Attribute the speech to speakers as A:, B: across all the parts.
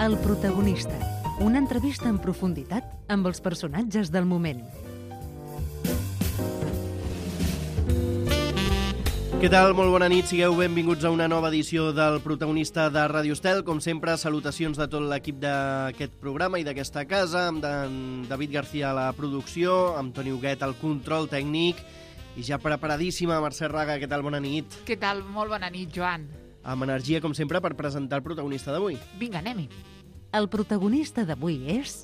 A: El protagonista. Una entrevista en profunditat amb els personatges del moment.
B: Què tal? Molt bona nit. Sigueu benvinguts a una nova edició del Protagonista de Ràdio Estel. Com sempre, salutacions de tot l'equip d'aquest programa i d'aquesta casa, amb David García a la producció, amb Toni Huguet al control tècnic i ja preparadíssima, Mercè Raga. Què tal? Bona nit.
C: Què tal? Molt bona nit, Joan.
B: Amb energia, com sempre, per presentar el protagonista d'avui.
C: Vinga, anem-hi.
A: El protagonista d'avui és...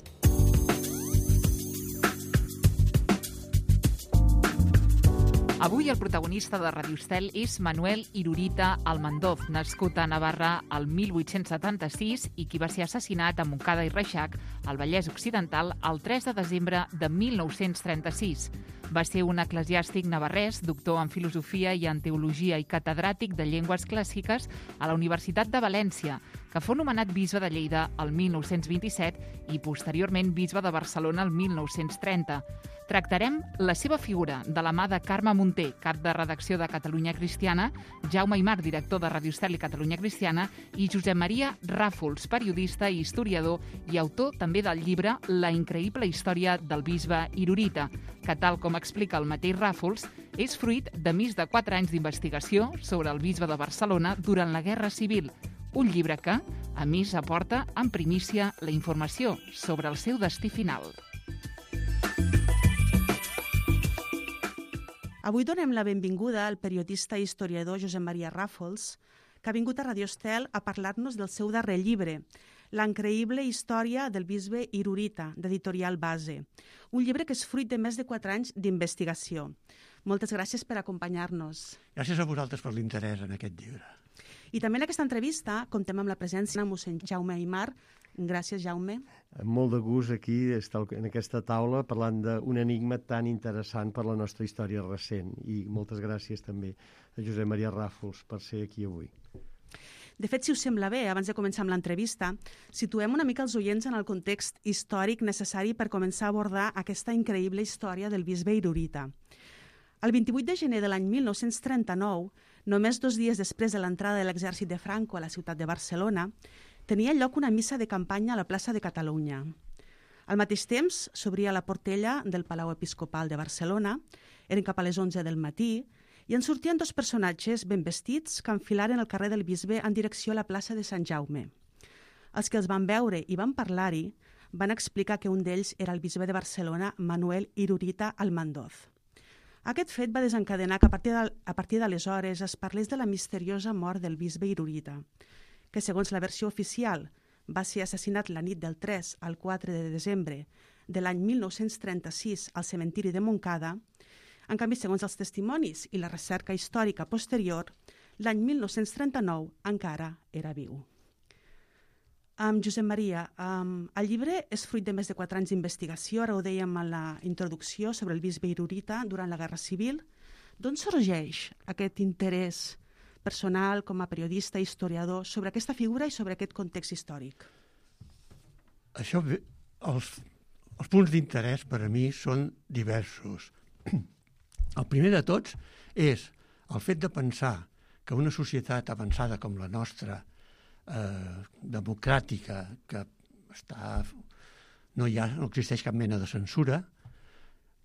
C: Avui el protagonista de Ràdio Estel és Manuel Irurita Almandoz, nascut a Navarra el 1876 i qui va ser assassinat a Montcada i Reixac, al Vallès Occidental, el 3 de desembre de 1936. Va ser un eclesiàstic navarrès, doctor en filosofia i en teologia i catedràtic de llengües clàssiques a la Universitat de València, que fou nomenat bisbe de Lleida el 1927 i posteriorment bisbe de Barcelona el 1930. Tractarem la seva figura de la mà de Carme Munté, cap de redacció de Catalunya Cristiana, Jaume Aymar, director de Ràdio Estel i Catalunya Cristiana, i Josep Maria Ràfols, periodista i historiador i autor també del llibre La increïble història del bisbe Irurita, que, tal com explica el mateix Ràfols, és fruit de més de 4 anys d'investigació sobre el bisbe de Barcelona durant la Guerra Civil, un llibre que, a més, aporta en primícia la informació sobre el seu destí final.
D: Avui donem la benvinguda al periodista i historiador Josep Maria Ràfols, que ha vingut a Ràdio Estel a parlar-nos del seu darrer llibre, La increïble història del bisbe Irurita, d'Editorial Base, un llibre que és fruit de més de 4 anys d'investigació. Moltes gràcies per acompanyar-nos.
E: Gràcies a vosaltres per l'interès en aquest llibre.
D: I també en aquesta entrevista comptem amb la presència de mossèn Jaume Aymar. Gràcies, Jaume.
F: Amb molt de gust aquí estar en aquesta taula parlant d'un enigma tan interessant per la nostra història recent. I moltes gràcies també a Josep Maria Ràfols per ser aquí avui.
D: De fet, si us sembla bé, abans de començar amb l'entrevista, situem una mica els oients en el context històric necessari per començar a abordar aquesta increïble història del bisbe Irurita. El 28 de gener de l'any 1939, només 2 dies després de l'entrada de l'exèrcit de Franco a la ciutat de Barcelona, tenia lloc una missa de campanya a la plaça de Catalunya. Al mateix temps, s'obria la portella del Palau Episcopal de Barcelona, eren cap a les 11 del matí, i en sortien 2 personatges ben vestits que enfilaren el carrer del bisbe en direcció a la plaça de Sant Jaume. Els que els van veure i van parlar-hi van explicar que un d'ells era el bisbe de Barcelona, Manuel Irurita Almandoz. Aquest fet va desencadenar que a partir d'aleshores es parlés de la misteriosa mort del bisbe Irurita, que segons la versió oficial va ser assassinat la nit del 3 al 4 de desembre de l'any 1936 al cementiri de Montcada. En canvi, segons els testimonis i la recerca històrica posterior, l'any 1939 encara era viu. Josep Maria, el llibre és fruit de més de 4 anys d'investigació, ara ho dèiem a la introducció, sobre el bisbe Irurita durant la Guerra Civil. D'on sorgeix aquest interès personal com a periodista i historiador sobre aquesta figura i sobre aquest context històric?
E: Això, els punts d'interès per a mi són diversos. El primer de tots és el fet de pensar que una societat avançada com la nostra, democràtica, que no existeix cap mena de censura,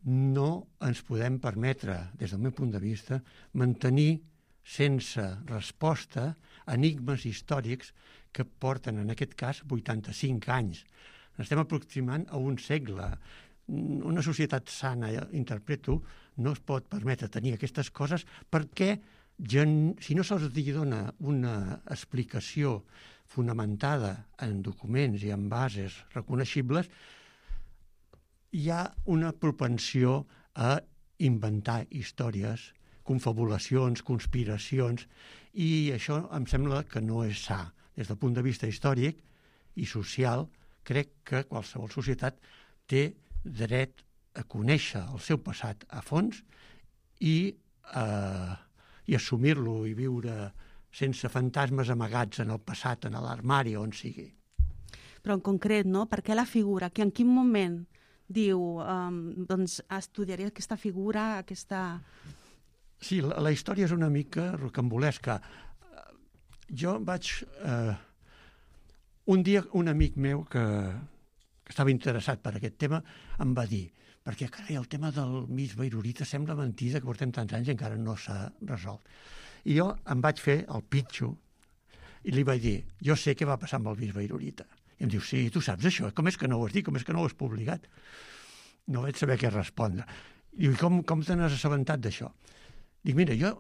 E: no ens podem permetre, des del meu punt de vista, mantenir sense resposta enigmes històrics que porten, en aquest cas, 85 anys. Estem aproximant a un segle. Una societat sana, interpreto, no es pot permetre tenir aquestes coses perquè si no se'ls dona una explicació fonamentada en documents i en bases reconeixibles, hi ha una propensió a inventar històries, confabulacions, conspiracions, i això em sembla que no és sa. Des del punt de vista històric i social, crec que qualsevol societat té dret a conèixer el seu passat a fons i assumir-lo i viure sense fantasmes amagats en el passat, en l'armari, on sigui.
D: Però en concret, no? Per què la figura? En quin moment diu, doncs estudiaré aquesta figura, aquesta...
E: Sí, la història és una mica rocambolesca. Jo vaig Un dia un amic meu que estava interessat per aquest tema em va dir, perquè carai, el tema del bisbe Irurita sembla mentida que portem tants anys i encara no s'ha resolt. I jo em vaig fer el pitxo i li vaig dir, jo sé què va passar amb el bisbe Irurita. I em diu, sí, tu saps això, com és que no ho has dit, com és que no ho has publicat? No vaig saber què respondre. Diu, i com te n'has assabentat d'això? Dic, mira, jo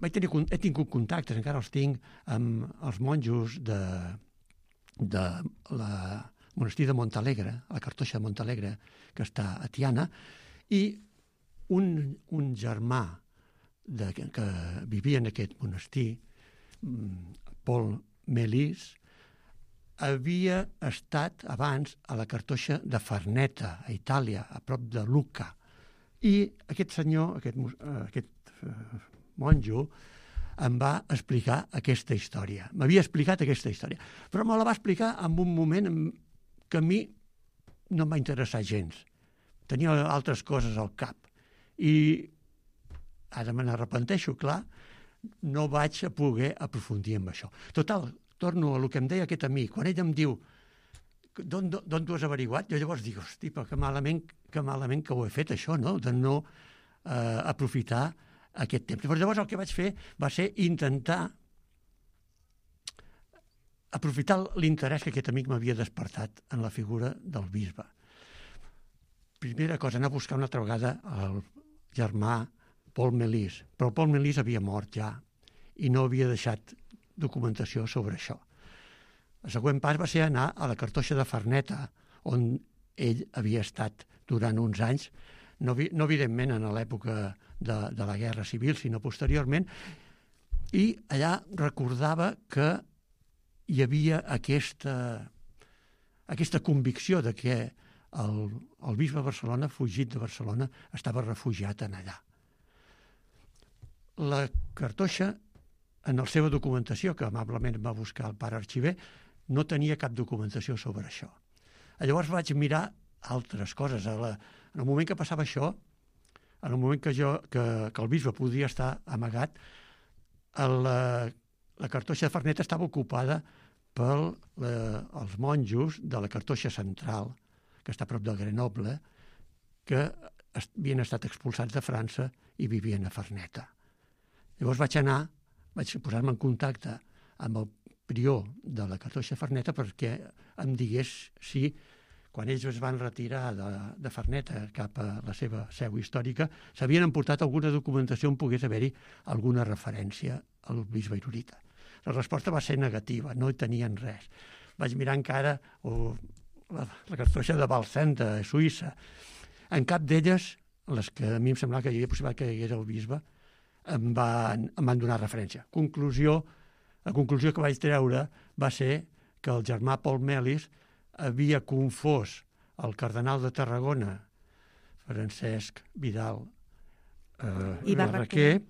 E: he tingut contactes, encara els tinc, amb els monjos de la monestir de Montalegre, a la Cartoixa de Montalegre, que està a Tiana, i un germà que vivia en aquest monestir, Paul Melis, havia estat abans a la Cartoixa de Farneta, a Itàlia, a prop de Lucca. I aquest senyor, aquest monjo, em va explicar aquesta història. M'havia explicat aquesta història, però me la va explicar en un moment que a mi no em va interessar gens. Tenia altres coses al cap. I ara me n'arrepenteixo, clar, no vaig poder aprofundir en això. Total, torno a el que em deia aquest amic. Quan ell em diu, d'on t'ho has averiguat? Jo llavors dic, hosti, però que malament que ho he fet, això, no? De no aprofitar aquest temps. Però llavors el que vaig fer va ser intentar aprofitar l'interès que aquest amic m'havia despertat en la figura del bisbe. Primera cosa, anar a buscar una altra vegada el germà Paul Melis. Però el Paul Melis havia mort ja i no havia deixat documentació sobre això. El següent pas va ser anar a la Cartoixa de Farneta, on ell havia estat durant uns anys, no evidentment en l'època de la Guerra Civil, sinó posteriorment, i allà recordava que hi havia aquesta convicció de que el bisbe de Barcelona, fugit de Barcelona, estava refugiat en allà. La Cartoixa, en la seva documentació, que amablement va buscar el pare arxiver, no tenia cap documentació sobre això. Llavors vaig mirar altres coses. En el moment que passava això, en el moment que el bisbe podia estar amagat, la Cartoixa de Farneta estava ocupada pels monjos de la Cartoixa Central, que està a prop de Grenoble, que havien estat expulsats de França i vivien a Farneta. Llavors vaig posar-me en contacte amb el prior de la Cartoixa de Farneta perquè em digués si, quan ells es van retirar de Farneta cap a la seva seu històrica, s'havien emportat alguna documentació on pogués haver-hi alguna referència al bisbe Irurita. La resposta va ser negativa, no hi tenien res. Vaig mirar encara la Cartoixa de Balsant, de Suïssa. En cap d'elles, les que a mi em semblava que hi havia possibilitat que hi hagués el bisbe, em van donar referència. La conclusió que vaig treure va ser que el germà Paul Melis havia confós el cardenal de Tarragona, Francesc Vidal i Barraquer,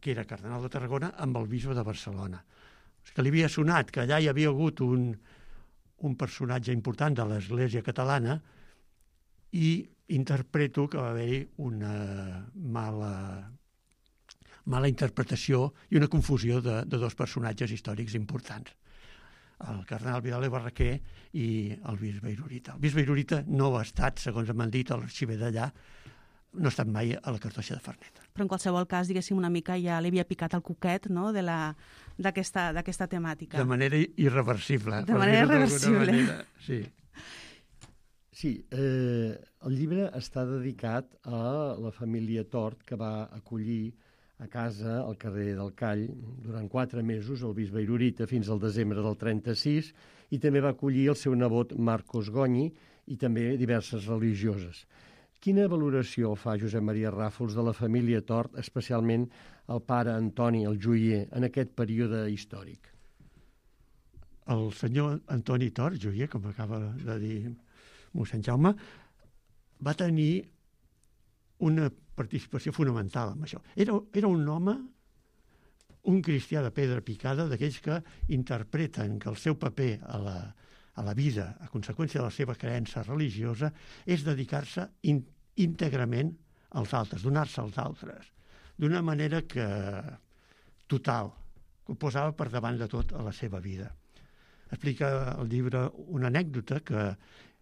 E: que era cardenal de Tarragona, amb el bisbe de Barcelona. Que li havia sonat que allà hi havia hagut un personatge important de l'Església catalana i interpreto que va haver-hi una mala interpretació i una confusió de dos personatges històrics importants, el cardenal Vidal i Barraquer i el bisbe Irurita. El bisbe Irurita no ha estat, segons m'han dit a l'arxiver d'allà, no ha estat mai a la Cartoixa de Farneta.
D: Però en qualsevol cas, diguéssim, una mica ja li havia picat el coquet, no?, d'aquesta temàtica.
E: De manera irreversible.
D: De manera irreversible.
E: Sí.
F: Sí, el llibre està dedicat a la família Tort, que va acollir a casa al carrer del Call durant 4 mesos el bisbe Irurita fins al desembre del 36 i també va acollir el seu nebot Marcos Gonyi i també diverses religioses. Quina valoració fa Josep Maria Ràfols de la família Tort, especialment el pare Antoni, el joier, en aquest període històric?
E: El senyor Antoni Tort, joier, com acaba de dir mossèn Jaume, va tenir una participació fonamental en això. Era un home, un cristià de pedra picada, d'aquells que interpreten que el seu paper a la vida, a conseqüència de la seva creença religiosa, és dedicar-se íntegrament als altres, donar-se als altres, d'una manera total, que ho posava per davant de tot a la seva vida. Explica el llibre una anècdota que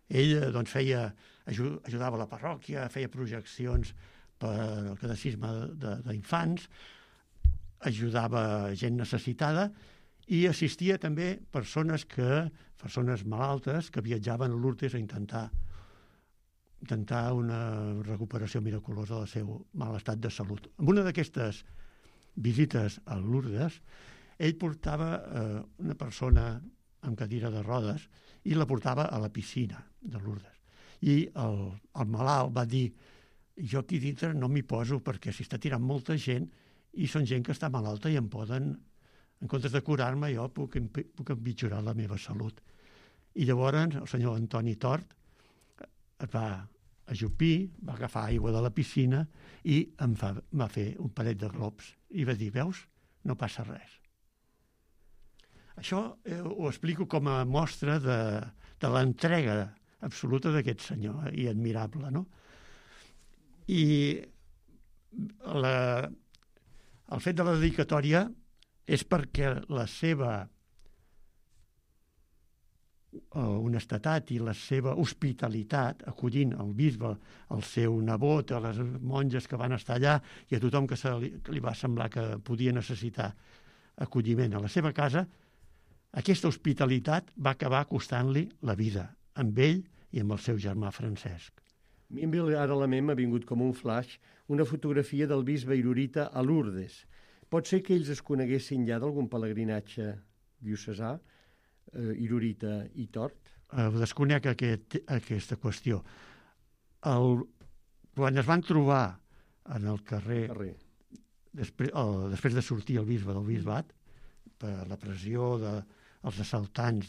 E: ell doncs, ajudava a la parròquia, feia projeccions per al catecisme d'infants, ajudava gent necessitada i assistia també persones malaltes que viatjaven a Lourdes a intentar una recuperació miraculosa del seu mal estat de salut. En una d'aquestes visites a Lourdes, ell portava una persona amb cadira de rodes i la portava a la piscina de Lourdes. I el malalt va dir: jo aquí dintre no m'hi poso perquè s'hi està tirant molta gent i són gent que està malalta i en comptes de curar-me, jo puc empitjorar la meva salut. I llavors el senyor Antoni Tort es va ajupir, va agafar aigua de la piscina i em va fer un parell de globs i va dir: veus, no passa res. Això ho explico com a mostra de l'entrega absoluta d'aquest senyor i admirable, no? I el fet de la dedicatòria és perquè la seva honestedat i la seva hospitalitat, acollint el bisbe, el seu nebot, a les monges que van estar allà i a tothom que li va semblar que podia necessitar acolliment a la seva casa, aquesta hospitalitat va acabar costant-li la vida, amb ell i amb el seu germà Francesc.
F: A mi ara a la ment m'ha vingut com un flash una fotografia del bisbe Irurita a Lourdes. Pot ser que ells es coneguessin ja d'algun pelegrinatge diocesà, Irurita i Tort?
E: Desconec aquesta qüestió. Quan es van trobar en el carrer, després de sortir el bisbe del bisbat, per la pressió dels assaltants,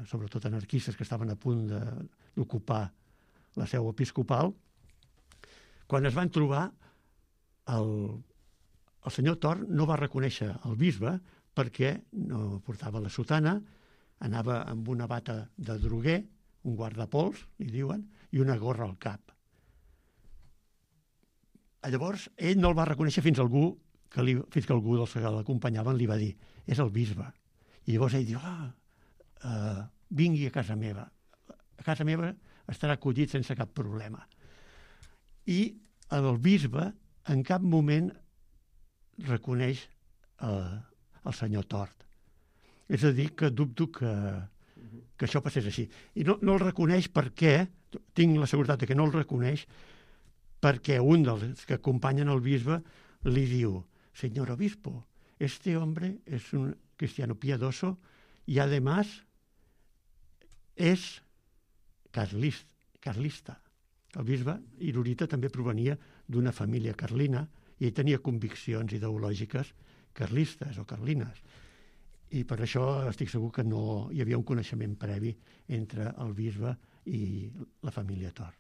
E: sobretot anarquistes, que estaven a punt d'ocupar la seu episcopal, quan es van trobar, el senyor Tort no va reconèixer el bisbe perquè no portava la sotana, anava amb una bata de droguer, un guardapols, li diuen, i una gorra al cap. Llavors, ell no el va reconèixer fins que algú dels que l'acompanyaven li va dir: és el bisbe. I llavors ell diu: vingui a casa meva. A casa meva estarà acollit sense cap problema. I el bisbe en cap moment reconeix el senyor Tort. És a dir, que dubto que això passés així. I no el reconeix perquè, tinc la seguretat que no el reconeix, perquè un dels que acompanyen el bisbe li diu: señor obispo, este hombre es un cristiano piadoso y además es carlista. El bisbe Irurita també provenia d'una família carlina i ell tenia conviccions ideològiques carlistes o carlines. I per això estic segur que no hi havia un coneixement previ entre el bisbe i la família Tort.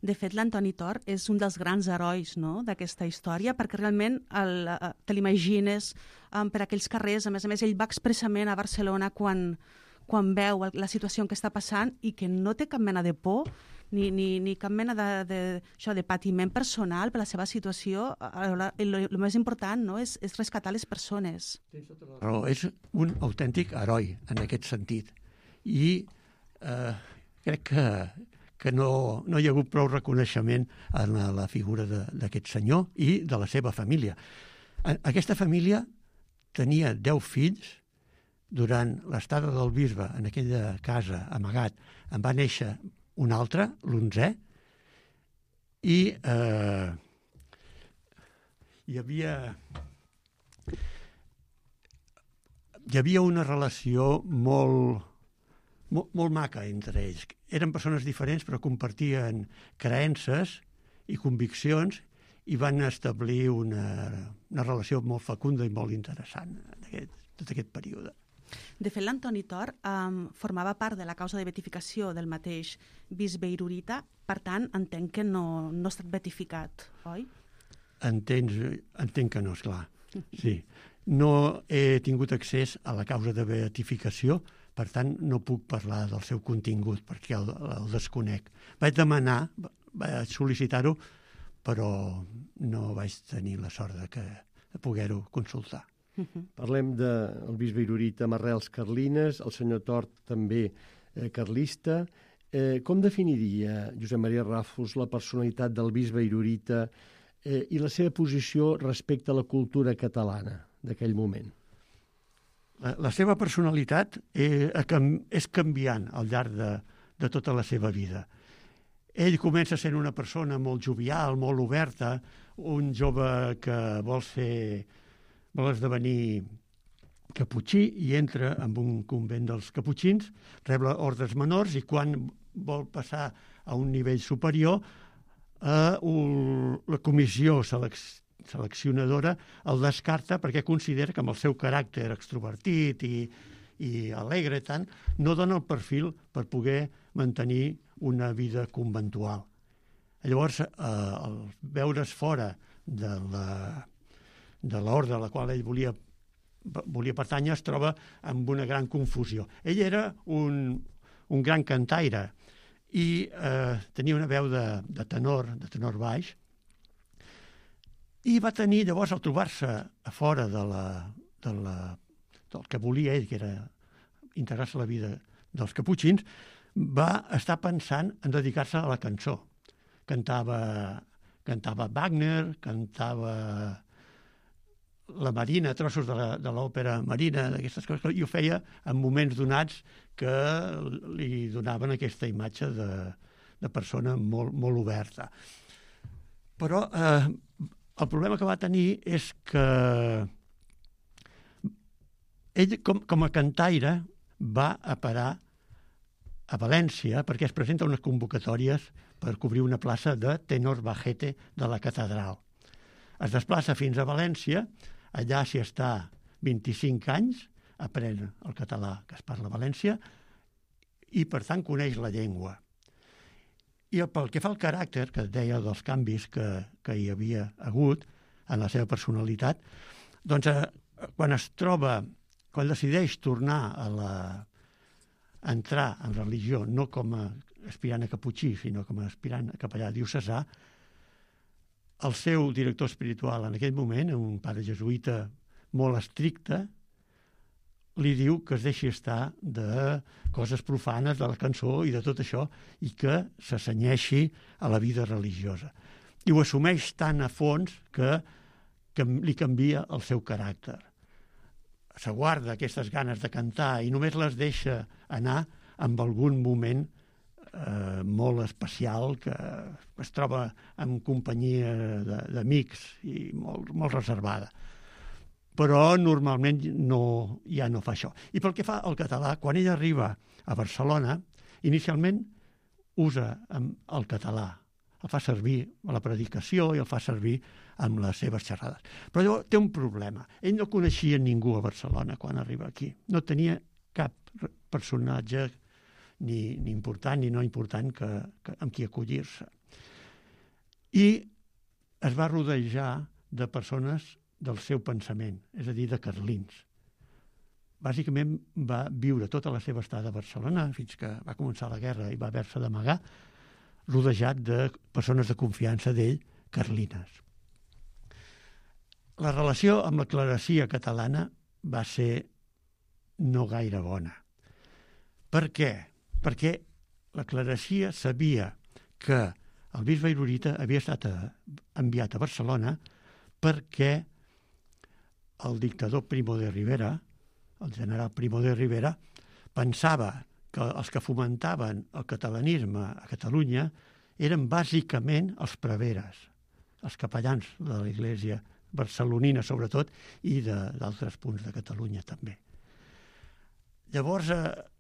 D: De fet, l'Antoni Tort és un dels grans herois, no?, d'aquesta història, perquè realment te l'imagines per aquells carrers. A més, ell va expressament a Barcelona quan veu la situació en què està passant i que no té cap mena de por ni cap mena de patiment personal per la seva situació. El més important, no?, és rescatar les persones.
E: Però és un autèntic heroi en aquest sentit. I crec que no hi ha hagut prou reconeixement en la figura d'aquest senyor i de la seva família. Aquesta família tenia 10 fills. Durant l'estada del bisbe en aquella casa amagat en va néixer un altre, l'11è, i hi havia una relació molt maca entre ells. Eren persones diferents però compartien creences i conviccions i van establir una relació molt fecunda i molt interessant en tot aquest període.
D: De fet, l'Antoni Tort formava part de la causa de beatificació del mateix bisbe Irurita, per tant, entenc que no ha estat beatificat, oi?
E: Entenc que no, esclar. Sí. No he tingut accés a la causa de beatificació, per tant, no puc parlar del seu contingut, perquè el desconec. Vaig sol·licitar-ho, però no vaig tenir la sort de poder-ho consultar.
F: Parlem del bisbe Irurita amb arrels carlines, el senyor Tort també carlista. Com definiria Josep Maria Ràfols la personalitat del bisbe Irurita i la seva posició respecte a la cultura catalana d'aquell moment?
E: La seva personalitat és canviant al llarg de tota la seva vida. Ell comença sent una persona molt jovial, molt oberta, un jove que vol esdevenir caputxí i entra en un convent dels caputxins, rep ordres menors i quan vol passar a un nivell superior, la comissió seleccionadora el descarta perquè considera que amb el seu caràcter extrovertit i alegre tant, no dona el perfil per poder mantenir una vida conventual. Llavors, al veure's fora de l'ordre a la qual ell volia pertànyer, es troba amb una gran confusió. Ell era un gran cantaire i tenia una veu de tenor baix, i va tenir, llavors, al trobar-se a fora del que volia ell, que era integrar-se a la vida dels caputxins, va estar pensant en dedicar-se a la cançó. Cantava Wagner, cantava la Marina, trossos de l'òpera Marina, d'aquestes coses, i ho feia en moments donats que li donaven aquesta imatge de persona molt oberta. Però el problema que va tenir és que ell, com a cantaire, va a parar a València perquè es presenta unes convocatòries per cobrir una plaça de tenor bajete de la catedral. Es desplaça fins a València, allà s'hi està 25 anys, aprèn el català que es parla a València i, per tant, coneix la llengua. I pel que fa al caràcter, que deia dels canvis que hi havia hagut en la seva personalitat, doncs quan decideix tornar a entrar en religió, no com a aspirant a caputxí, sinó com a aspirant a capellà diocesà, el seu director espiritual en aquell moment, un pare jesuïta molt estricte, li diu que es deixi estar de coses profanes, de la cançó i de tot això, i que s'assenyeixi a la vida religiosa. I ho assumeix tan a fons que li canvia el seu caràcter. S'aguarda aquestes ganes de cantar i només les deixa anar en algun moment molt especial, que es troba en companyia d'amics i molt reservada. Però normalment ja no fa això. I pel que fa al català, quan ell arriba a Barcelona, inicialment usa el català, el fa servir a la predicació i el fa servir amb les seves xerrades. Però llavors té un problema. Ell no coneixia ningú a Barcelona quan arriba aquí. No tenia cap personatge ni important ni no important amb qui acollir-se. I es va rodejar de persones del seu pensament, és a dir, de carlins. Bàsicament va viure tota la seva estada a Barcelona fins que va començar la guerra i va haver-se d'amagar, rodejat de persones de confiança d'ell, carlines. La relació amb la clerecia catalana va ser no gaire bona. Per què? Perquè la clerecia sabia que el bisbe Irurita havia estat enviat a Barcelona perquè el dictador Primo de Rivera, el general Primo de Rivera, pensava que els que fomentaven el catalanisme a Catalunya eren bàsicament els preveres, els capellans de l'Església barcelonina sobretot i d'altres punts de Catalunya també. Llavors,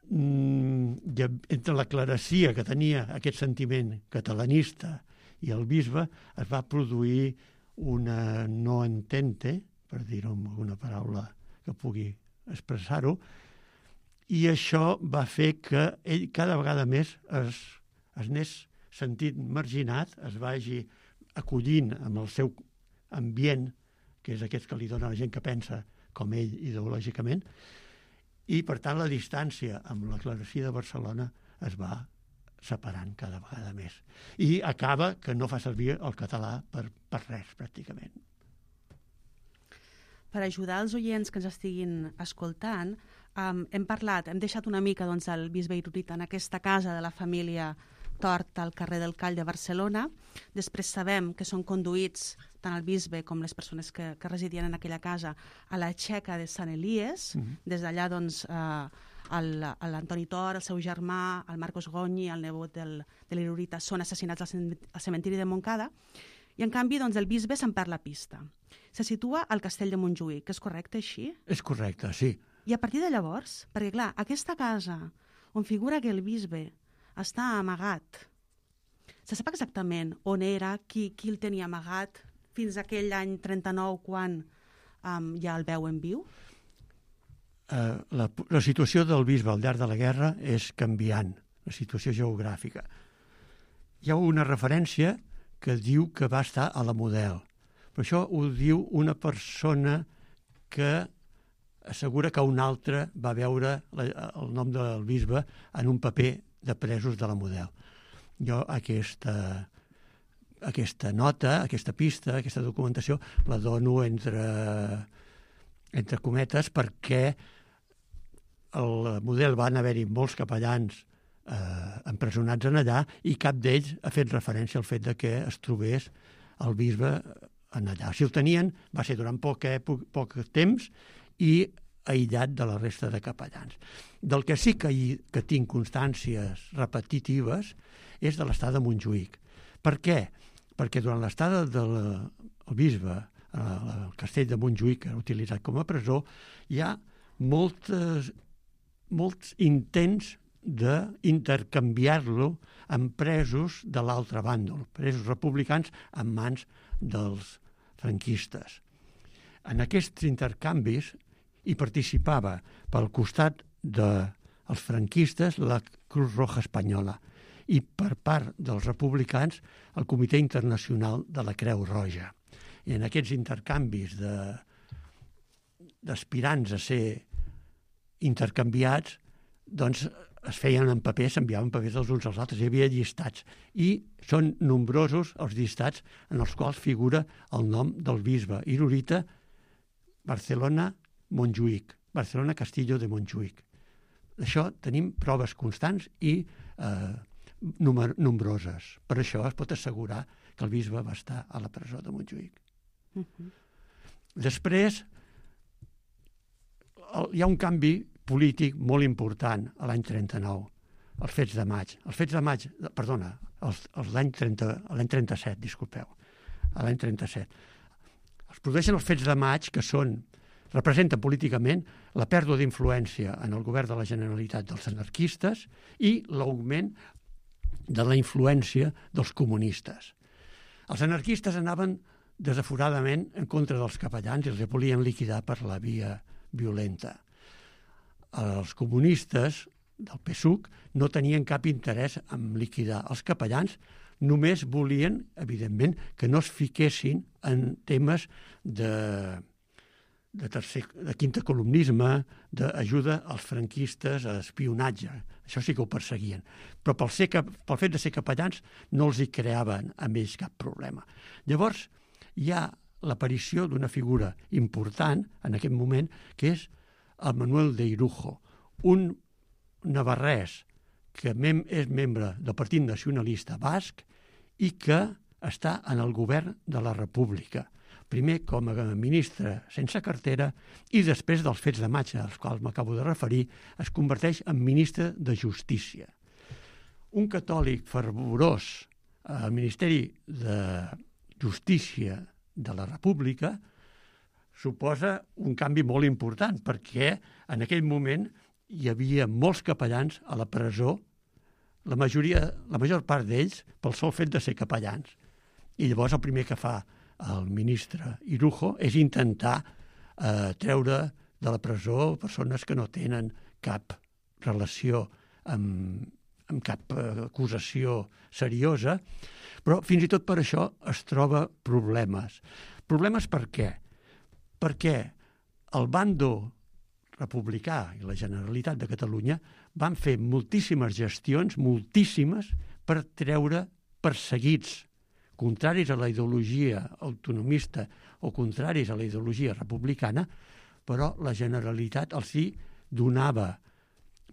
E: entre la clerecia que tenia aquest sentiment catalanista i el bisbe, es va produir una no entente, per dir-ho amb alguna paraula que pugui expressar-ho, i això va fer que ell cada vegada més es anés sentint marginat, es vagi acollint amb el seu ambient, que és aquest que li dona la gent que pensa com ell ideològicament, i per tant la distància amb la clerecia de Barcelona es va separant cada vegada més. I acaba que no fa servir el català per res, pràcticament.
D: per ajudar els oients que ens estiguin escoltant, hem deixat una mica doncs, el bisbe Irurita en aquesta casa de la família Tort al carrer del Call de Barcelona. Després sabem que són conduïts tant el bisbe com les persones que residien en aquella casa a la Txeca de Sant Elies. Des d'allà doncs, l'Antoni Tort, el seu germà, el Marcos Gonyi, el nebot de l'Irurita, són assassinats al cementiri de Montcada. I en canvi doncs, el bisbe se'n perd la pista. Se situa al castell de Montjuïc, és correcte així?
E: És correcte, sí.
D: I a partir de llavors, perquè clar, aquesta casa on figura que el bisbe està amagat, se sap exactament on era, qui el tenia amagat, fins aquell any 39 quan ja el veuen viu?
E: La situació del bisbe al llarg de la guerra és canviant, la situació geogràfica. Hi ha una referència que diu que va estar a la Model, però això ho diu una persona que assegura que un altre va veure el nom del bisbe en un paper de presos de la Model. Jo aquesta nota, aquesta pista, aquesta documentació, la dono entre cometes perquè al Model van haver-hi molts capellans empresonats en allà i cap d'ells ha fet referència al fet de que es trobés el bisbe en allà. Si el tenien, va ser durant poc temps i aïllat de la resta de capellans. Del que sí que tinc constàncies repetitives és de l'estada de Montjuïc. Per què? Perquè durant l'estada del bisbe al castell de Montjuïc, que era utilitzat com a presó, hi ha molts intents d'intercanviar-lo amb presos de l'altre bàndol, presos republicans en mans dels franquistes. En aquests intercanvis hi participava pel costat dels franquistes la Cruz Roja Espanyola i per part dels republicans el Comitè Internacional de la Creu Roja. I en aquests intercanvis d'aspirants a ser intercanviats, doncs es feien en paper, s'enviaven papers els uns als altres, hi havia llistats. I són nombrosos els llistats en els quals figura el nom del bisbe Irurita, Barcelona, Montjuïc, Barcelona, Castillo de Montjuïc. D'això tenim proves constants i nombroses. Per això es pot assegurar que el bisbe va estar a la presó de Montjuïc. Després, hi ha un canvi polític molt important a l'any 39, els fets de maig. L'any 37, disculpeu, a l'any 37. Es produeixen els fets de maig que representen políticament la pèrdua d'influència en el govern de la Generalitat dels anarquistes i l'augment de la influència dels comunistes. Els anarquistes anaven desaforadament en contra dels capellans i els volien liquidar per la via violenta. Els comunistes del PSUC no tenien cap interès en liquidar els capellans, només volien, evidentment, que no es fiquessin en temes de quintacolumnisme, d'ajuda als franquistes a espionatge. Això sí que ho perseguien. Però pel fet de ser capellans no els hi creaven a ells cap problema. Llavors, hi ha l'aparició d'una figura important en aquest moment, que és el Manuel de Irujo, un navarrès que és membre del Partit Nacionalista Basc i que està en el govern de la República. Primer com a ministre sense cartera i després dels fets de maig als quals m'acabo de referir, es converteix en ministre de Justícia. Un catòlic fervorós al Ministeri de Justícia de la República suposa un canvi molt important perquè en aquell moment hi havia molts capellans a la presó, la major part d'ells pel sol fet de ser capellans. I llavors el primer que fa el ministre Irujo és intentar treure de la presó persones que no tenen cap relació amb cap acusació seriosa, però fins i tot per això es troba problemes. Problemes per què? Perquè el bàndol republicà i la Generalitat de Catalunya van fer moltíssimes gestions, moltíssimes, per treure perseguits contraris a la ideologia autonomista o contraris a la ideologia republicana, però la Generalitat els hi donava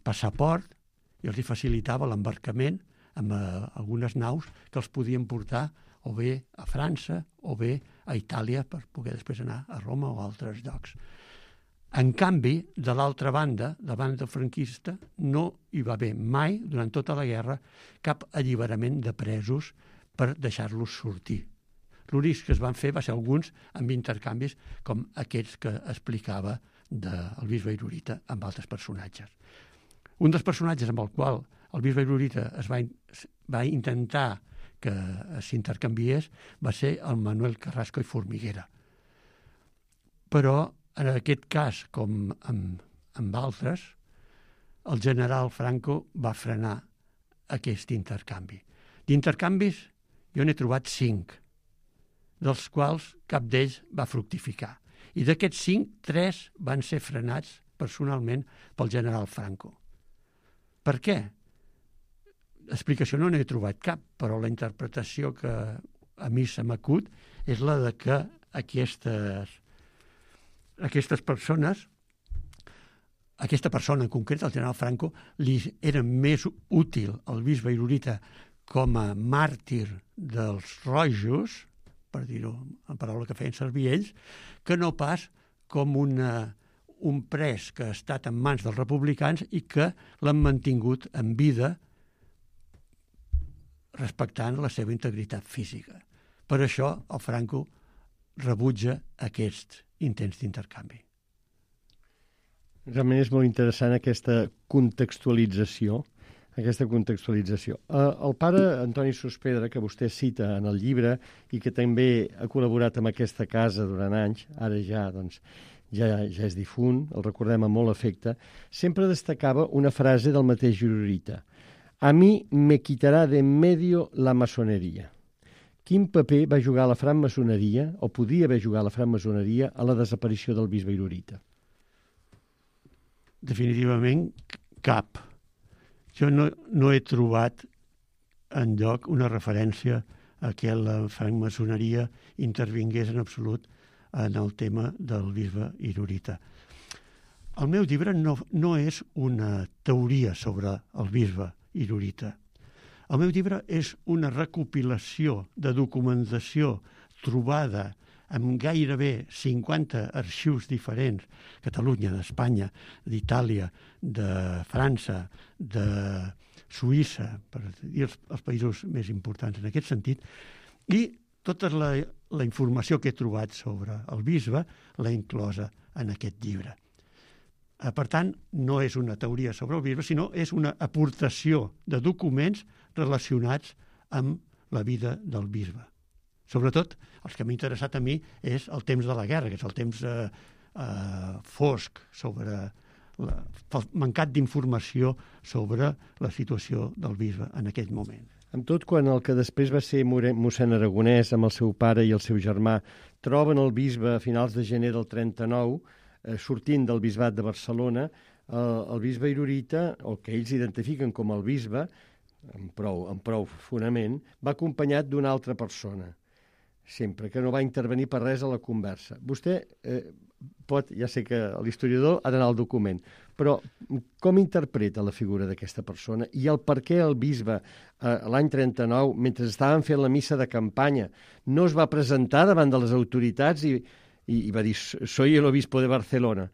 E: passaport i els hi facilitava l'embarcament amb algunes naus que els podien portar o bé a França o bé a Itàlia per poder després anar a Roma o a altres llocs. En canvi, de l'altra banda, de banda franquista, no hi va haver mai, durant tota la guerra, cap alliberament de presos per deixar-los sortir. L'únic que es van fer va ser alguns amb intercanvis com aquests que explicava del bisbe Irurita amb altres personatges. Un dels personatges amb el qual el bisbe Irurita es va intentar que s'intercanviés va ser el Manuel Carrasco i Formiguera. Però en aquest cas, com amb altres, el general Franco va frenar aquest intercanvi. D'intercanvis jo n'he trobat 5, dels quals cap d'ells va fructificar. I d'aquests 5, 3 van ser frenats personalment pel general Franco. Per què? Explicació no n'he trobat cap, però la interpretació que a mi se m'acut és la de que aquestes persones, aquesta persona en concret, el general Franco, li era més útil al bisbe Irurita com a màrtir dels rojos, per dir-ho en paraula que feien servir ells, que no pas com un pres que ha estat en mans dels republicans i que l'han mantingut en vida respectant la seva integritat física. Per això el Franco rebutja aquests intents d'intercanvi.
F: Realment és molt interessant aquesta contextualització. El pare Antoni Sospedra, que vostè cita en el llibre i que també ha col·laborat amb aquesta casa durant anys, ara ja és difunt, el recordem amb molt afecte, sempre destacava una frase del mateix Irurita: «A mi me quitarà de en medio la maçoneria». Quin paper va jugar la francmaçoneria, o podia haver jugat la francmaçoneria, a la desaparició del bisbe Irurita?
E: Definitivament cap. Jo no he trobat enlloc una referència a que la francmaçoneria intervingués en absolut en el tema del bisbe Irurita. El meu llibre no és una teoria sobre el bisbe Irurita. El meu llibre és una recopilació de documentació trobada amb gairebé 50 arxius diferents, Catalunya, d'Espanya, d'Itàlia, de França, de Suïssa, per dir els països més importants en aquest sentit, i tota la informació que he trobat sobre el bisbe l'he inclosa en aquest llibre. Per tant, no és una teoria sobre el bisbe, sinó és una aportació de documents relacionats amb la vida del bisbe. Sobretot, els que m'ha interessat a mi és el temps de la guerra, que és el temps fosc, mancat d'informació sobre la situació del bisbe en aquell moment.
F: Amb tot, quan el que després va ser mossèn Aragonès amb el seu pare i el seu germà troben el bisbe a finals de gener del 39, sortint del bisbat de Barcelona, el bisbe Irurita, o que ells identifiquen com el bisbe, amb prou fonament, va acompanyat d'una altra persona, sempre, que no va intervenir per res a la conversa. Vostè pot, ja sé que l'historiador ha d'anar al document, però com interpreta la figura d'aquesta persona i el per què el bisbe l'any 39, mentre estaven fent la missa de campanya, no es va presentar davant de les autoritats i va dir, soy el obispo de Barcelona.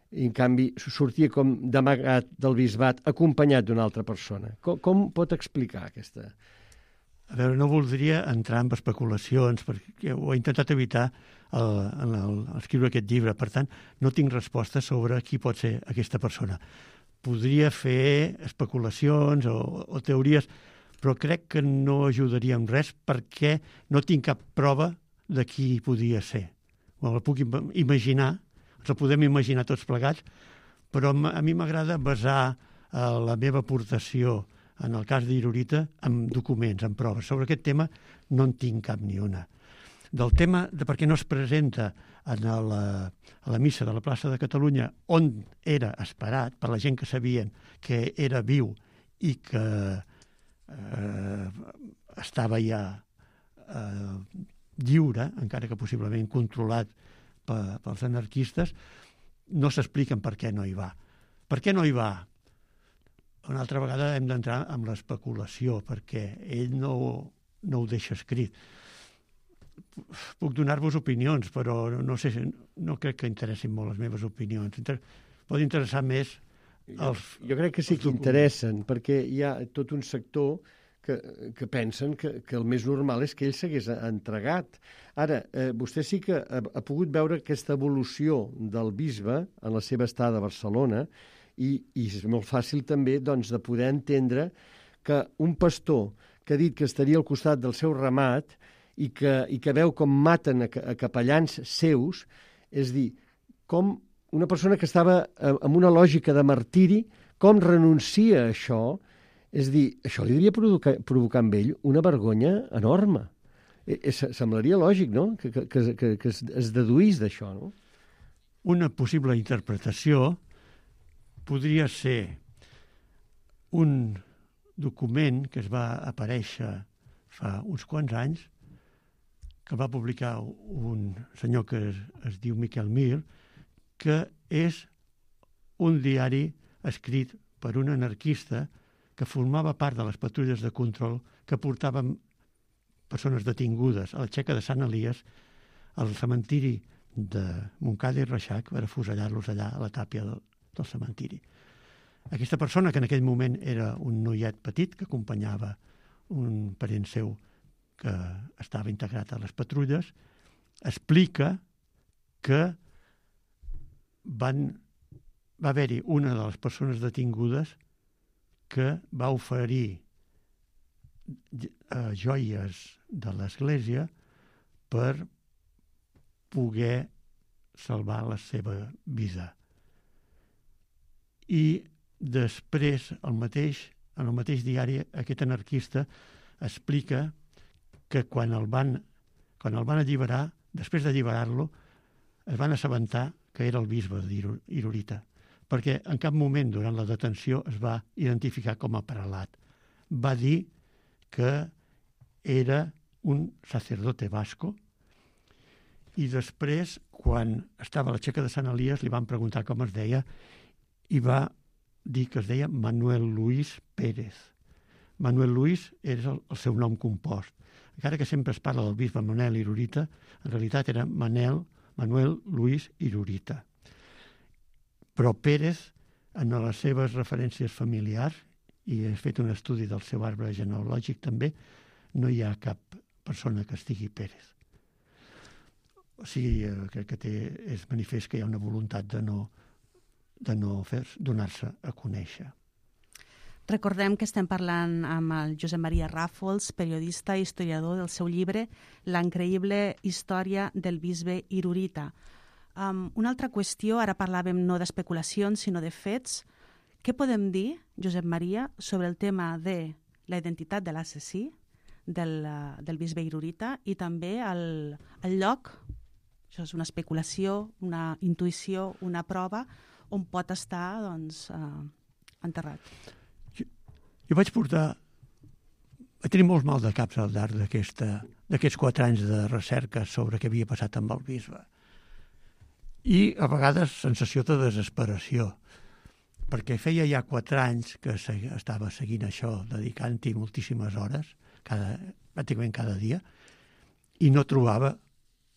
F: I, en canvi, sortia com d'amagat del bisbat acompanyat d'una altra persona. Com pot explicar aquesta?
E: A veure, no voldria entrar en especulacions, perquè ho he intentat evitar en escriure aquest llibre. Per tant, no tinc resposta sobre qui pot ser aquesta persona. Podria fer especulacions o teories, però crec que no ajudaria en res perquè no tinc cap prova de qui podia ser. La puc imaginar, ens la podem imaginar tots plegats, però a mi m'agrada basar la meva aportació en el cas d'Irurita amb documents, amb proves. Sobre aquest tema no en tinc cap ni una. Del tema de per què no es presenta a la missa de la plaça de Catalunya, on era esperat per la gent que sabien que era viu i que estava ja lliure, encara que possiblement controlat pels anarquistes, no s'expliquen per què no hi va. Per què no hi va? Una altra vegada hem d'entrar en l'especulació, perquè ell no ho deixa escrit. Puc donar-vos opinions, però no sé, no crec que interessin molt les meves opinions. Pot interessar més
F: Jo crec que sí que interessen, perquè hi ha tot un sector que pensen que el més normal és que ell s'hagués entregat. Ara, vostè sí que ha pogut veure aquesta evolució del bisbe en la seva estada a Barcelona i és molt fàcil també doncs, de poder entendre que un pastor que ha dit que estaria al costat del seu ramat i que veu com maten a capellans seus, és dir, com una persona que estava amb una lògica de martiri, com renuncia a això, és dir, això li devia provocar amb ell una vergonya enorme. Semblaria lògic, no?, que es deduís d'això, no?
E: Una possible interpretació podria ser un document que es va aparèixer fa uns quants anys, que va publicar un senyor que es diu Miquel Mir, que és un diari escrit per un anarquista que formava part de les patrulles de control que portaven persones detingudes a la Txeca de Sant Elies al cementiri de Montcada i Reixac per afusellar-los allà a la tàpia del cementiri. Aquesta persona, que en aquell moment era un noiet petit que acompanyava un parent seu que estava integrat a les patrulles, explica que va haver-hi una de les persones detingudes que va oferir joies de l'Església per poder salvar la seva vida. I després, en el mateix diari, aquest anarquista explica que quan el van alliberar, després d'alliberar-lo, es van assabentar que era el bisbe d'Irurita, perquè en cap moment durant la detenció es va identificar com a prelat. Va dir que era un sacerdote vasco i després, quan estava a la Txeca de Sant Elies, li van preguntar com es deia i va dir que es deia Manuel Luis Pérez. Manuel Luis era el seu nom compost. Encara que sempre es parla del bisbe Manel Irurita, en realitat era Manuel Luis Irurita. Però Pérez, en les seves referències familiars, i he fet un estudi del seu arbre genealògic també, no hi ha cap persona que estigui Pérez. O sigui, crec que és manifest que hi ha una voluntat de no donar-se a conèixer.
D: Recordem que estem parlant amb el Josep Maria Ràfols, periodista i historiador del seu llibre La increïble història del bisbe Irurita. Una altra qüestió, ara parlàvem no d'especulacions, sinó de fets. Què podem dir, Josep Maria, sobre el tema de la identitat de l'assassí, del bisbe Irurita, i també el lloc, això és una especulació, una intuïció, una prova, on pot estar enterrat.
E: Jo vaig tenir molts mal de caps al llarg d'aquests 4 anys de recerca sobre què havia passat amb el bisbe. I a vegades sensació de desesperació, perquè feia ja 4 anys que estava seguint això, dedicant-hi moltíssimes hores, pràcticament cada dia, i no trobava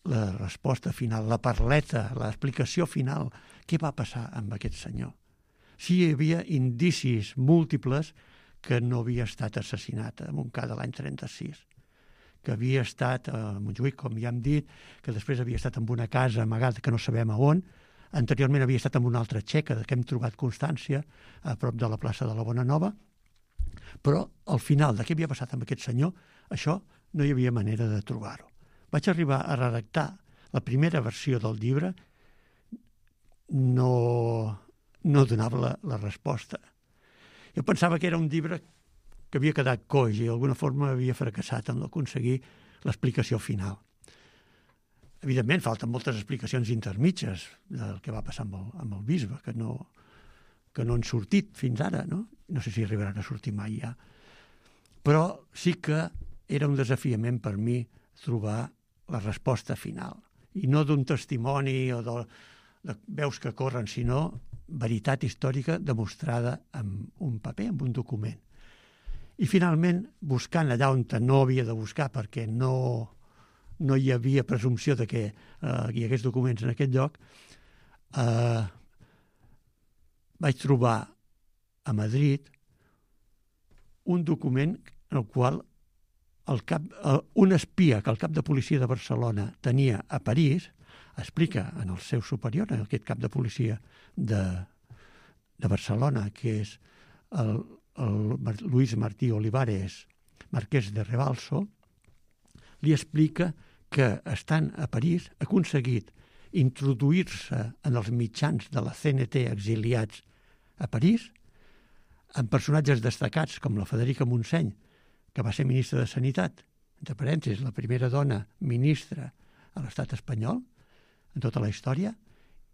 E: la resposta final, la parleta, l'explicació final. Què va passar amb aquest senyor? Sí, hi havia indicis múltiples que no havia estat assassinat a Montcada l'any 36, que havia estat a Montjuïc, com ja hem dit, que després havia estat en una casa amagada que no sabem a on, anteriorment havia estat en una altra txeca que hem trobat constància a prop de la plaça de la Bona Nova, però al final de què havia passat amb aquest senyor, això no hi havia manera de trobar-ho. Vaig arribar a redactar la primera versió del llibre, no donava la resposta. Jo pensava que era un llibre que havia quedat coix i d'alguna forma havia fracassat en aconseguir l'explicació final. Evidentment, falten moltes explicacions intermitges del que va passar amb el bisbe, que no han sortit fins ara, no? No sé si arribaran a sortir mai ja. Però sí que era un desafiament per mi trobar la resposta final. I no d'un testimoni o de veus que corren, sinó veritat històrica demostrada amb un paper, amb un document. I finalment, buscant allà on no havia de buscar, perquè no hi havia presumpció de que hi hagués documents en aquest lloc, vaig trobar a Madrid un document en el qual un espia que el cap de policia de Barcelona tenia a París explica en el seu superior, en aquest cap de policia de Barcelona, que és el Luis Martí Olivares, marquès de Rebalso, li explica que, estant a París, ha aconseguit introduir-se en els mitjans de la CNT exiliats a París, amb personatges destacats com la Federica Montseny, que va ser ministra de Sanitat, entre parèntesis, la primera dona ministra a l'estat espanyol en tota la història,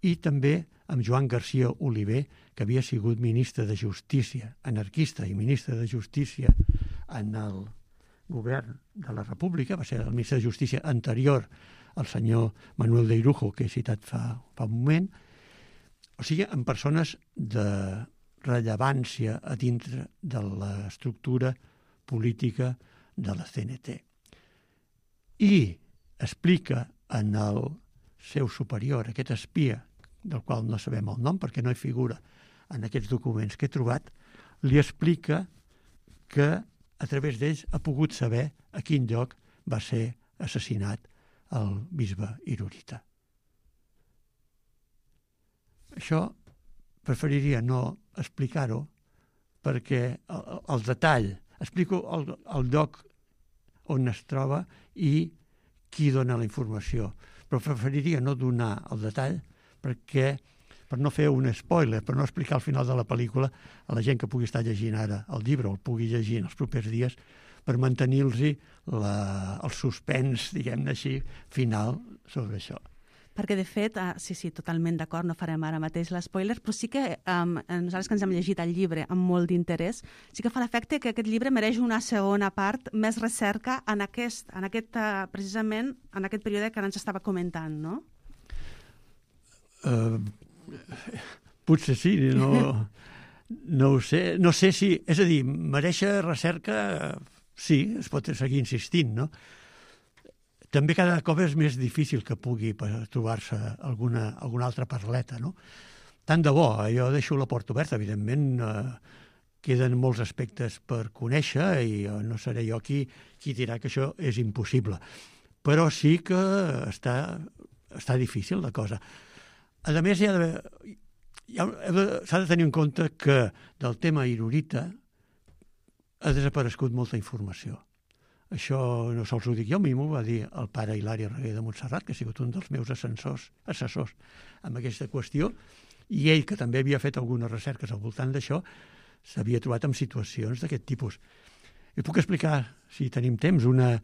E: i també amb Joan García Oliver, que havia sigut ministre de Justícia, anarquista i ministre de Justícia en el govern de la República, va ser el ministre de Justícia anterior al senyor Manuel de Irujo, que he citat fa un moment, o sigui, amb persones de rellevància a dintre de l'estructura política de la CNT. I explica en el seu superior, aquest espia, del qual no sabem el nom perquè no hi figura en aquests documents que he trobat, li explica que a través d'ells ha pogut saber a quin lloc va ser assassinat el bisbe Irurita. Això preferiria no explicar-ho perquè el detall, explico el lloc on es troba i qui dona la informació, però preferiria no donar el detall per no fer un spoiler, per no explicar al final de la pel·lícula a la gent que pugui estar llegint ara el llibre o el pugui llegir en els propers dies, per mantenir-los el suspens, diguem-ne així, final sobre això.
D: Perquè, de fet, sí, totalment d'acord, no farem ara mateix l'espoiler, però sí que nosaltres que ens hem llegit el llibre amb molt d'interès, sí que fa l'efecte que aquest llibre mereix una segona part, més recerca en aquest precisament, en aquest període que ens estava comentant, no?
E: Potser sí, no ho sé. No sé si... És a dir, mereix recerca, sí, es pot seguir insistint, no? També cada cop és més difícil que pugui trobar-se alguna altra parleta, no? Tant de bo, jo deixo la porta oberta, evidentment queden molts aspectes per conèixer i no seré jo qui dirà que això és impossible. Però sí que està difícil la cosa. A més, s'ha de tenir en compte que del tema Irurita ha desaparegut molta informació. Això no sols ho dic jo, a mi m'ho va dir el pare Hilari Reguer de Montserrat, que ha sigut un dels meus assessors amb aquesta qüestió, i ell, que també havia fet algunes recerques al voltant d'això, s'havia trobat en situacions d'aquest tipus. I puc explicar, si tenim temps, una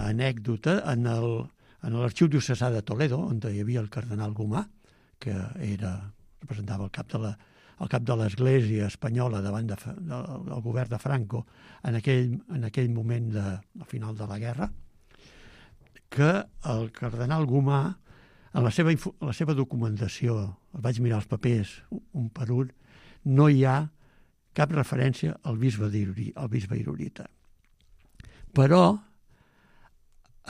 E: anècdota en l'arxiu diocesà de Toledo, on hi havia el cardenal Gomà, que representava el cap de l'Església espanyola davant del govern de Franco en aquell moment al final de la guerra, que el cardenal Gomà, en la seva documentació, vaig mirar els papers un per un, no hi ha cap referència al bisbe Irurita. Però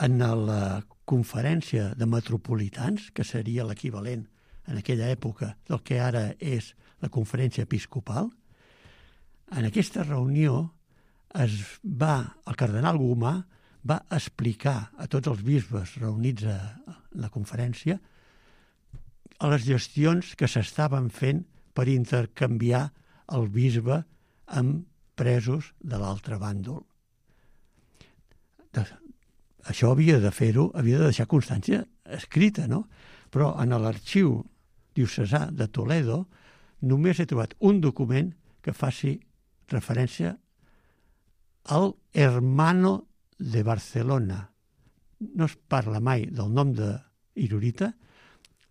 E: en la conferència de metropolitans, que seria l'equivalent en aquella època del que ara és la conferència episcopal, en aquesta reunió el cardenal Gomà va explicar a tots els bisbes reunits a la conferència les gestions que s'estaven fent per intercanviar el bisbe amb presos de l'altre bàndol. Això havia de deixar constància escrita, no? Però en l'arxiu diocesà de Toledo només he trobat un document que faci referència al hermano de Barcelona. No es parla mai del nom d'Irurita,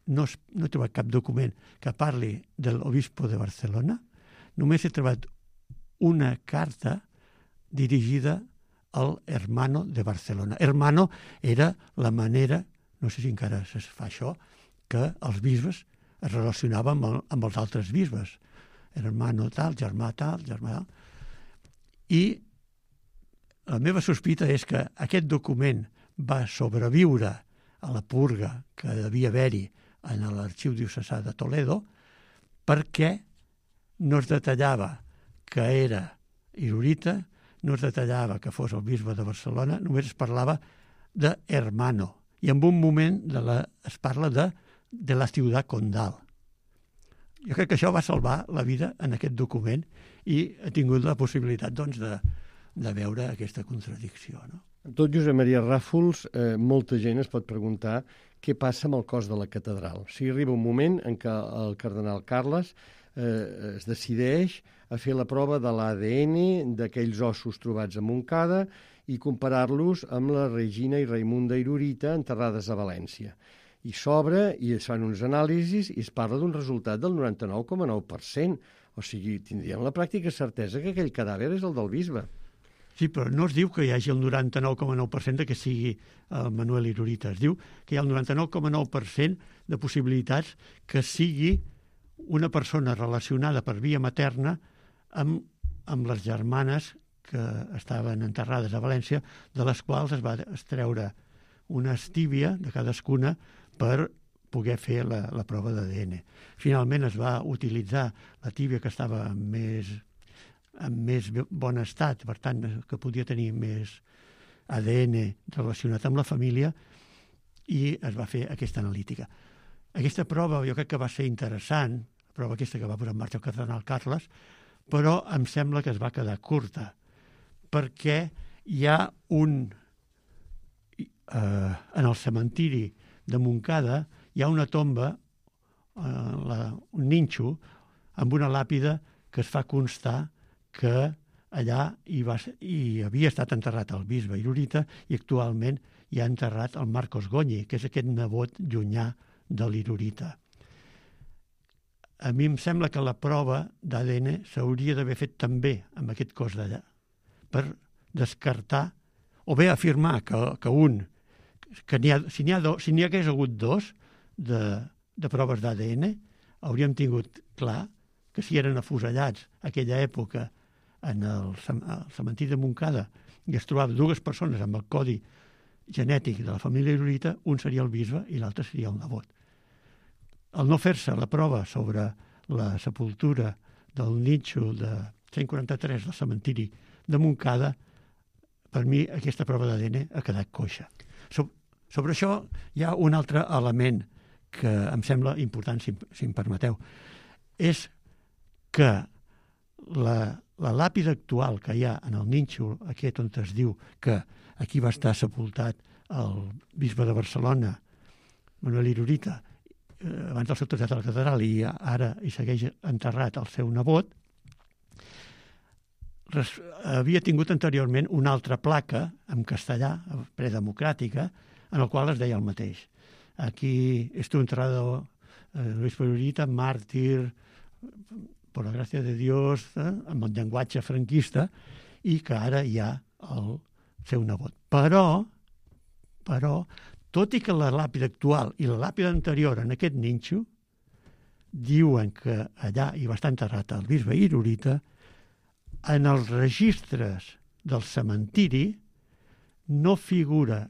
E: no he trobat cap document que parli de l'obispo de Barcelona, només he trobat una carta dirigida el hermano de Barcelona. Hermano era la manera, no sé si encara es fa això, que els bisbes es relacionaven amb els altres bisbes. Hermano tal, germà tal, germà tal. I la meva sospita és que aquest document va sobreviure a la purga que devia haver-hi en l'arxiu diocesà de Toledo perquè no es detallava que era Irurita, no es detallava que fos el bisbe de Barcelona, només es parlava de hermano. I en un moment es parla de la ciutat condal. Jo crec que això va salvar la vida en aquest document i he tingut la possibilitat doncs, de veure aquesta contradicció. No?
F: Tot Josep Maria Ràfols, molta gent es pot preguntar què passa amb el cos de la catedral. O sigui, arriba un moment en què el cardenal Carles es decideix a fer la prova de l'ADN d'aquells ossos trobats a Montcada i comparar-los amb la Regina i Raimunda Irurita enterrades a València. I s'obre i es fan uns anàlisis i es parla d'un resultat del 99,9%. O sigui, tindríem la pràctica certesa que aquell cadàver és el del bisbe.
E: Sí, però no es diu que hi hagi el 99,9% que sigui el Manuel Irurita. Es diu que hi ha el 99,9% de possibilitats que sigui una persona relacionada per via materna amb les germanes que estaven enterrades a València, de les quals es va extreure una estíbia de cadascuna per poder fer la prova d'ADN. Finalment es va utilitzar la tíbia que estava en més bon estat, per tant, que podia tenir més ADN relacionat amb la família, i es va fer aquesta analítica. Aquesta prova jo crec que va ser interessant, la prova aquesta que va posar en marxa el cardenal Carles, però em sembla que es va quedar curta, perquè hi ha en el cementiri de Montcada hi ha una tomba, un nínxol, amb una làpida que es fa constar que allà hi havia estat enterrat el bisbe Irurita i actualment hi ha enterrat el Marcos Goñi, que és aquest nebot llunyà de l'Irurita. A mi em sembla que la prova d'ADN s'hauria d'haver fet també amb aquest cos d'allà, per descartar, o bé afirmar si n'hi hagués hagut dos de proves d'ADN, hauríem tingut clar que si eren afusellats a aquella època en el cementiri de Montcada i es trobaven dues persones amb el codi genètic de la família Irurita, un seria el bisbe i l'altre seria el nebot. Al no fer-se la prova sobre la sepultura del nínxol de 143 del cementiri de Montcada, per mi aquesta prova d'ADN ha quedat coixa. Sobre això hi ha un altre element que em sembla important, si em permeteu. És que la làpida actual que hi ha en el nínxol, aquest on es diu que aquí va estar sepultat el bisbe de Barcelona, Manuel Irurita, abans del seu trasllat a la catedral, i ara hi segueix enterrat el seu nebot, havia tingut anteriorment una altra placa en castellà, predemocràtica, en el qual es deia el mateix. Aquí estuvo enterrado Luis Irurita, màrtir, per la gràcia de Dios, amb el llenguatge franquista, i que ara hi ha el seu nebot. Però, tot i que la làpida actual i la làpida anterior en aquest nínxol diuen que allà hi va estar enterrat el bisbe Irurita, en els registres del cementiri no figura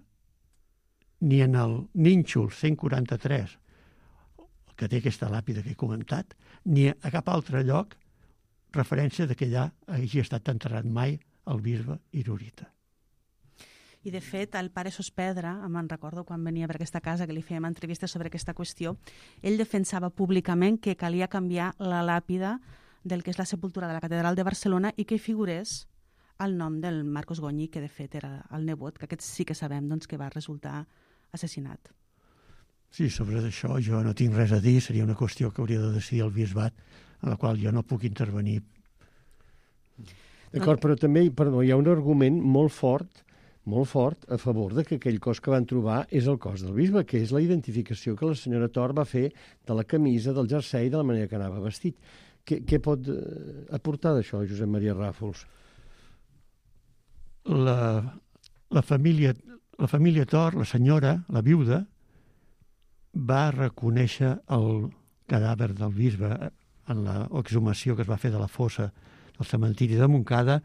E: ni en el nínxol 143, que té aquesta làpida que he comentat, ni a cap altre lloc referència que allà hagi estat enterrat mai el bisbe Irurita.
D: I, de fet, el pare Sospedra, me'n recordo quan venia per aquesta casa que li fèiem entrevistes sobre aquesta qüestió, ell defensava públicament que calia canviar la làpida del que és la sepultura de la catedral de Barcelona i que figurés el nom del Marcos Goñi, que de fet era el nebot, que aquest sí que sabem doncs, que va resultar assassinat.
E: Sí, sobre això jo no tinc res a dir, seria una qüestió que hauria de decidir el bisbat, en la qual jo no puc intervenir.
F: D'acord, però també hi ha un argument molt fort a favor de que aquell cos que van trobar és el cos del bisbe, que és la identificació que la senyora Tor va fer de la camisa, del jersei, de la manera que anava vestit. Què pot aportar d'això, Josep Maria Ràfols?
E: la família Tor, la senyora, la viuda, va reconèixer el cadàver del bisbe en l'exhumació que es va fer de la fossa del cementiri de Montcada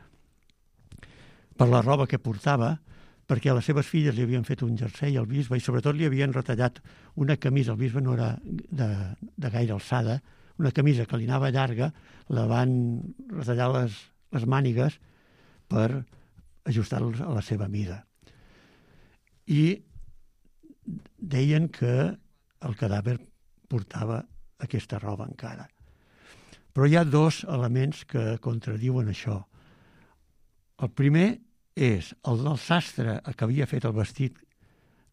E: per la roba que portava, perquè a les seves filles li havien fet un jersei al bisbe i sobretot li havien retallat una camisa, el bisbe no era de gaire alçada, una camisa que li anava llarga, la van retallar les mànigues per ajustar-los a la seva mida. I deien que el cadàver portava aquesta roba encara. Però hi ha dos elements que contradiuen això. El primer és el del sastre que havia fet el vestit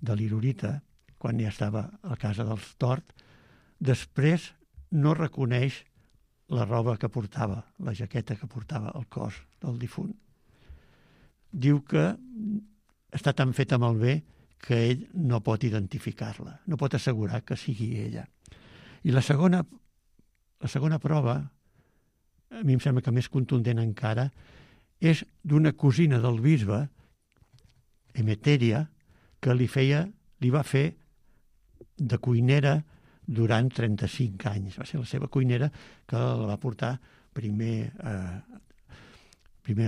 E: de l'Irurita, quan ja estava a la casa dels Tort, després no reconeix la roba que portava, la jaqueta que portava al cos del difunt. Diu que està tan feta amb el bé que ell no pot identificar-la, no pot assegurar que sigui ella. I la segona prova, a mi em sembla que més contundent encara, és d'una cosina del bisbe, Emeteria, que li va fer de cuinera durant 35 anys. Va ser la seva cuinera que la va portar primer a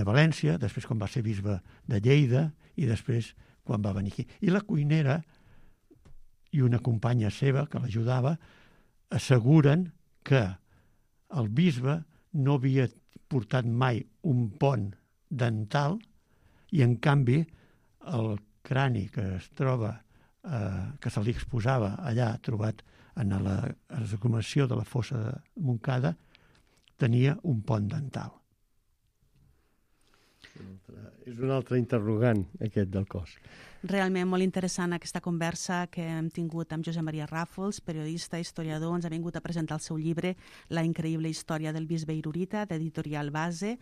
E: València, després quan va ser bisbe de Lleida i després quan va venir aquí. I la cuinera i una companya seva que l'ajudava asseguren que el bisbe no havia portat mai un pont dental i, en canvi, el crani que es troba, que se li exposava allà, trobat en l'exhumació de la fossa de Montcada, tenia un pont dental.
F: És un altre interrogant, aquest del cos.
D: Realment molt interessant aquesta conversa que hem tingut amb Josep Maria Ràfols, periodista, historiador. Ens ha vingut a presentar el seu llibre La increïble història del bisbe Irurita, d'Editorial Base.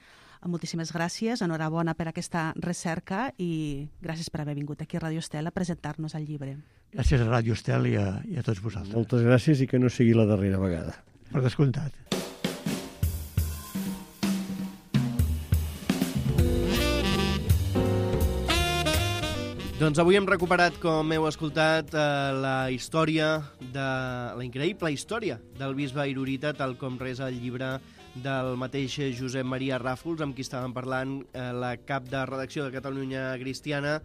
D: Moltíssimes gràcies, enhorabona per aquesta recerca i gràcies per haver vingut aquí a Ràdio Estel a presentar-nos el llibre.
E: Gràcies a Ràdio Estel i a tots vosaltres.
F: Moltes gràcies i que no sigui la darrera vegada.
E: Per descomptat.
B: Doncs avui hem recuperat, com heu escoltat, la increïble història del bisbe Irurita, tal com resa el llibre del mateix Josep Maria Ràfols, amb qui estàvem parlant la cap de redacció de Catalunya Cristiana,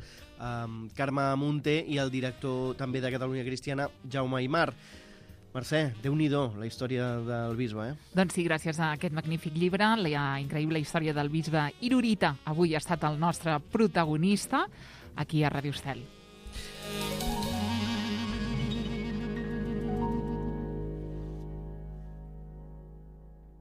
B: Carme Munté, i el director també de Catalunya Cristiana, Jaume Aymar. Mercè, Déu-n'hi-do, la història del bisbe, eh?
C: Doncs sí, gràcies a aquest magnífic llibre, la increïble història del bisbe Irurita, avui ha estat el nostre protagonista aquí a Ràdio Estel.